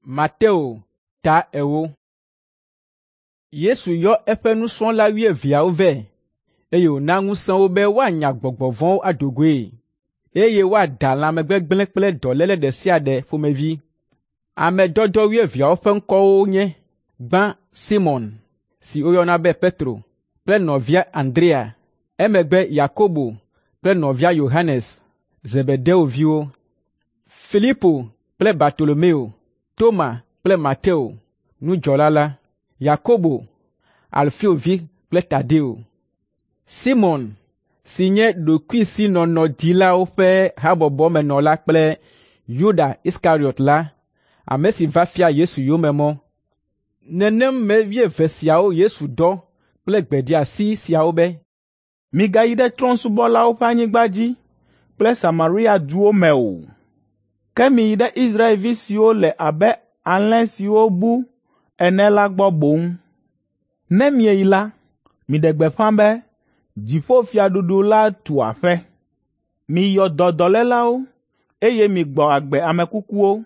Mateo ta 4. Yesu yɔ eƒe nusrɔ̃la wuieveawo vɛ, eye wòna ŋusẽ wo be woanya gbɔgbɔ vɔ̃wo ado goe, eye woada lãmegbegblẽ kple dɔléle ɖe sia ɖe ƒomevi. Ame dɔdɔ wuieveawo ƒe ŋkɔwo nye: gbã Simɔn, si woyɔna be Petro kple nɔvia Andrea, emegbe Yakobo kple nɔvia Yohanes, Zebedeo viwo, Filipo kple Bartolomeo, Toma kple Mateo, nudzɔla la, Yakobo, Alfeo vi kple Tadeo, Simɔn si nye ɖokuisinɔnɔdilawo ƒe habɔbɔmenɔla kple Yuda Iskariɔt la, ame si va fia Yesu yome mɔ. Nenem me wuieve siawo Yesu dɔ kple gbedeasi siawo be, Migayi ɖe trɔ̃subɔlawo ƒe anyigba dzi kple Samaria duwo me o. Ke miyi ɖe Israelvi siwo le abe alẽ siwo bu ene la gbɔ boŋ. Ne mieyi la, miɖe gbeƒã be, ‘Dziƒofiaɖuɖu la tu aƒe.’ Miyɔ dɔ dɔlélawo, eye migbɔ agbe ame kukuwo.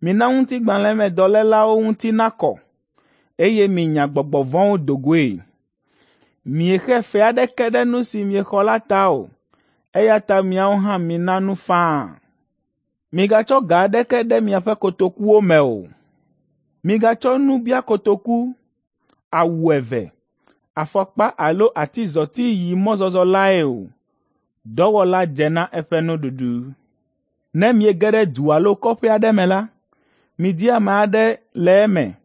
Mina ŋutigbalẽmedɔlélawo ŋuti nakɔ, eye minya gbɔgbɔ vɔ̃wo do goe. Miexe fe aɖeke ɖe nu si miexɔ la ta o, eya ta miawo hã mina nu faa. Migatsɔ ga aɖeke ɖe miaƒe kotokuwo me o. Migatsɔ nubiakotoku, awu eve, afɔkpa alo atizɔti yi mɔzɔzɔ lae o. Dɔwɔla dze na eƒe nuɖuɖu. Ne miege ɖe du alo kɔƒe aɖe me la, midi ame aɖe le eme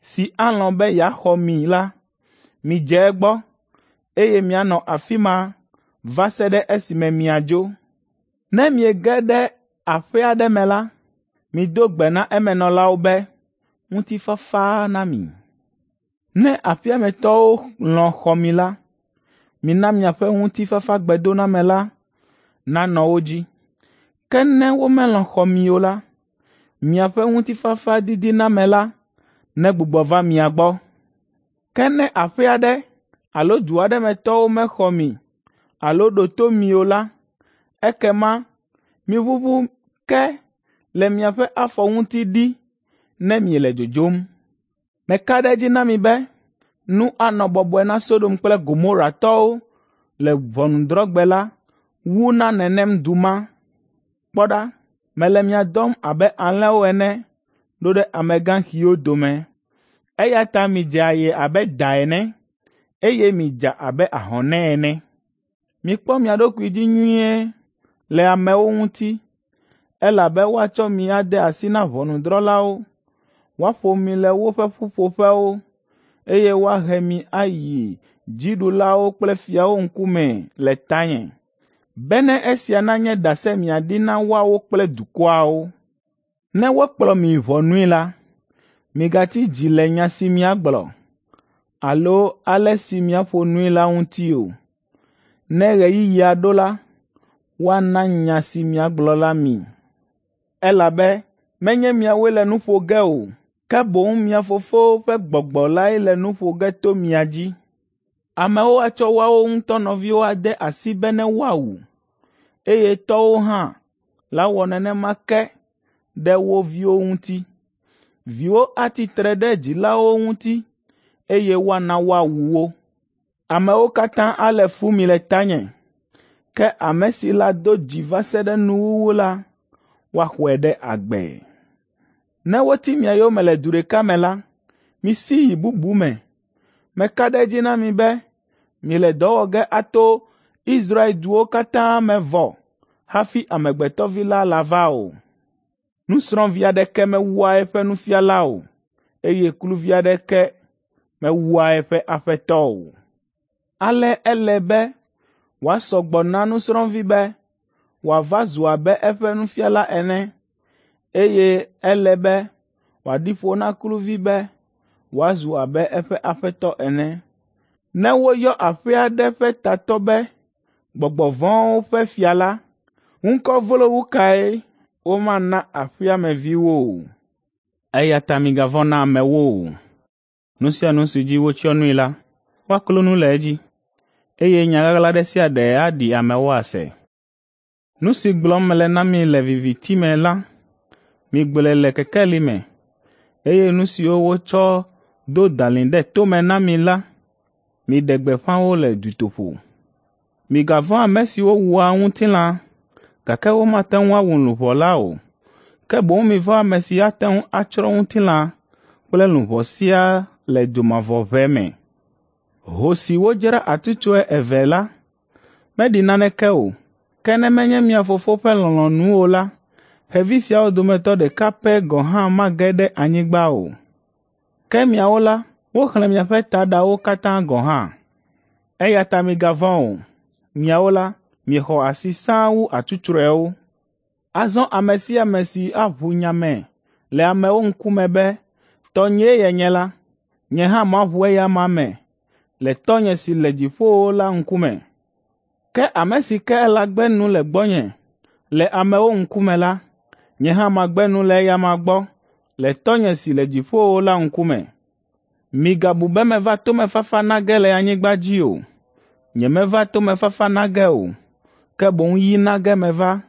si alɔ̃ be yeaxɔ mi la, midze egbɔ, eye mianɔ afi ma va se ɖe esime miadzo. Ne miege ɖe aƒe aɖe me la, mido gbe na emenɔlawo be, ‘Ŋutifafa na mi.’ Ne aƒea me tɔwo lɔ̃ xɔ mi la, mina miaƒe ŋutifafagbedoname la nanɔ wo dzi. Ke ne womelɔ̃ xɔ mi o la, miaƒe ŋutifafadidiname la negbugbɔ va mia gbɔ. Ke ne aƒe aɖe alo du aɖe me tɔwo mexɔ mi alo ɖo to mi o la, ekema miʋuʋu ke le miaƒe afɔ ŋuti ɖi ne miele dzodzom. Meka ɖe edzi na mi be nu anɔ bɔbɔe na Sodom kple Gomoratɔwo le ʋɔnudrɔ̃gbe la wu na nenem du ma. Kpɔ ɖa, mele mia dɔm abe alẽwo ene ɖo ɖe amegãxiwo dome. Eya ta midze aye abe da ene, eye midza abe ahɔnɛ ene. Mikpɔ mia ɖokui dzi nyuie le amewo ŋuti, elabe woatsɔ mi ade asi na ʋɔnudrɔ̃lawo, woaƒo mi le woƒe ƒuƒoƒewo, eye woahe mi ayi dziɖulawo kple fiawo ŋkume le tanye, bene esia nanye ɖase miaɖi na woawo kple dukɔawo. Ne wokplɔ mi yi ʋɔnui la, migatsi dzi le nya si miagblɔ alo ale si miaƒo nui la ŋuti o. Ne ɣeyiɣia ɖo la, woana nya si miagblɔ la mi, elabe menye miawoe le nu ƒo ge o, ke boŋ mia Fofo ƒe Gbɔgbɔ lae le nu ƒo ge to mia dzi. Amewo atsɔ woawo ŋutɔ nɔviwo ade asi bene woawu, eye tɔwo hã lawɔ nenema ke ɖe wo viwo ŋuti. Viwo atsi tre ɖe dzilawo ŋuti, eye woana woawu wo. Amewo katã alé fu mi le tanye, ke ame si lado dzi va se ɖe nuwuwu la, woaxɔe ɖe agbe. Ne woti mia yome le du ɖeka me la, misi yi bubu me. Meka ɖe edzi na mi be miele dɔ wɔ ge ato Israel duwo katã me vɔ hafi Amegbetɔ Vi la lava o. Nusrɔ̃vi aɖeke mewua eƒe nufiala o, eye kluvi aɖeke mewua eƒe aƒetɔ o. Ale ele be wòasɔ gbɔ na nusrɔ̃vi be wòava zu abe eƒe nufiala ene, eye ele be wòaɖi ƒo na kluvi be wòazu abe eƒe aƒetɔ ene. Ne woyɔ aƒe aɖe ƒe tatɔ be gbɔgbɔ vɔ̃wo ƒe fia la, ŋkɔ vlo wu kae womana aƒea me viwo o? Eya ta migavɔ̃ na amewo o. Nu sia nu si dzi wotsyɔ nui la, woaklo nu le edzi, eye nya ɣaɣla ɖe sia ɖe aɖi amewo ase. Nu si gblɔm mele na mi le viviti me la, migblɔe le kekeli me. Eye nu siwo wotsɔ do dalĩ ɖe tome na mi la, miɖe gbeƒã wo le dutoƒo. Migavɔ̃ ame siwo wua ŋutilã, gake womate ŋu awu luʋɔ la o. Ke boŋ mivɔ̃ ame si ate ŋu atsrɔ̃ ŋutilã kple luʋɔ siaa le dzomavɔʋe me. Ho si wodzra atsutsrɔe evee la, meɖi naneke o, ke ne menye mia Fofo ƒe lɔlɔ̃nu o la, xevi siawo dometɔ ɖeka pɛ gɔ̃ hã mage ɖe anyigba o. Ke miawo la, woxlẽ miaƒe taɖawo katã gɔ̃ hã. Eya ta migavɔ̃ o. Miawo la, miexɔ asi sãa wu atsutsrɔewo. Azɔ ame sia ame si aʋu nya me le amewo ŋkume be tɔnyee yenye la, nye hã maʋu eya amea me le Tɔnye si le dziƒowo la ŋkume. Ke ame si ke lagbe nu le gbɔnye le amewo ŋkume la, nye hã magbe nu le eya amea gbɔ le Tɔnye si le dziƒowo la ŋkume. Migabu be meva tomefafa na ge le anyigba dzi o. Nyemeva tomefafa na ge o, ke boŋ yi na ge meva.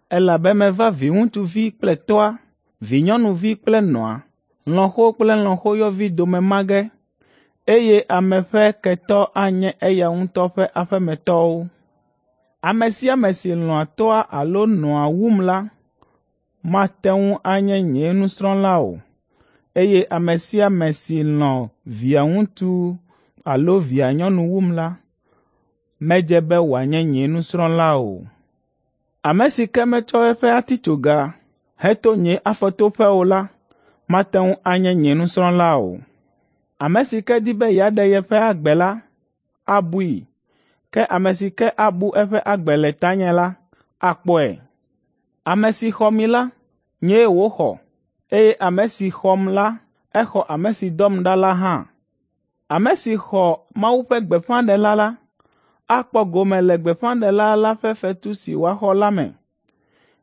Elabe meva viŋutsuvi kple tɔ́a, vinyɔnuvi kple nɔa, lɔ̃xo kple lɔ̃xoyɔvi dome ma ge, eye ame ƒe ketɔ anye eya ŋutɔ ƒe aƒemetɔwo. Ame sia ame si lɔ̃a tɔ́a alo nɔa wum la, mate ŋu anye nye nusrɔ̃la o, eye ame sia ame si lɔ̃ via ŋutsu alo via nyɔnu wum la, medze be wòanye nye nusrɔ̃la o. Ame si ke metsɔ eƒe atitsoga heto nye afɔtoƒe o la, mate ŋu anye nye nusrɔ̃la o. Ame si ke di be yeaɖe yeƒe agbe la, abui, ke ame si ke abu eƒe agbe le tanye la, akpɔe. Ame si xɔ mi la, nyee wòxɔ, eye ame si xɔm la, exɔ ame si dɔm ɖa la hã. Ame si xɔ Mawu ƒe gbeƒãɖela la, akpɔ gome le gbeƒãɖela la ƒe fetu si wòaxɔ la me.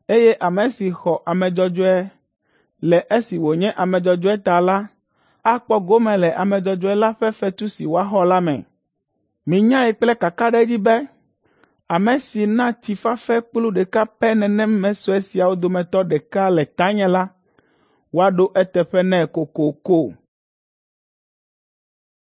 Eye ame si xɔ ame dzɔdzɔe le esi wònye ame dzɔdzɔe ta la, akpɔ gome le ame dzɔdzɔe la ƒe fetu si wòaxɔ la me. Minyae kple kakaɖedzi be ame si na tsi fafɛ kplu ɖeka pɛ nenem me sue siawo dometɔ ɖeka le tanye la, woaɖo eteƒe nɛ kokoko.